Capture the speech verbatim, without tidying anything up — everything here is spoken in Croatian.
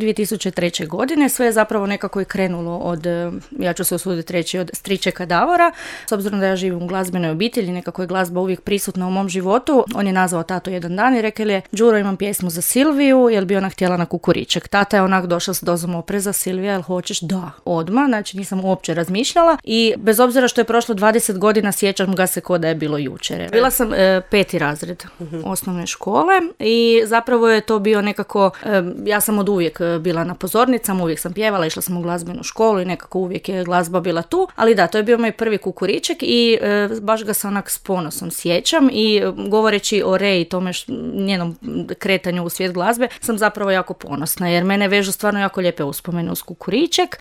dvije tisuće treće. godine. Sve je zapravo nekako i krenulo od, ja ću se usuditi reći, od stričeka Davora. S obzirom da ja živim u glazbenoj obitelji, nekako je glazba uvijek prisutna u mom životu. On je nazvao tatu jedan dan i rekao je: Đuro, imam pjesmu za Silviju, jel bi ona htjela na kukuriček? Tata je onak došla s dozom opreza: Silvija, jel hoćeš? Da, odmah, znači nisam uopće razmišljala i bez obzira što je prošlo dvadeset godina, sjećam ga se ko da je bilo jučer. Bila sam e, peti razred uh-huh. osnovne škole i zapravo je to bio nekako, e, ja sam od uvijek bila na pozornicama, uvijek sam pjevala, išla sam u glazbenu školu i nekako uvijek je glazba bila tu, ali da, to je bio moj prvi kukuriček i e, baš ga se onak s ponosom sjećam i govoreći o Rej i tome š, njenom kretanju u svijet glazbe sam zapravo jako ponosna jer mene vežu stvarno jako lijepe uspomene uz kukuriček.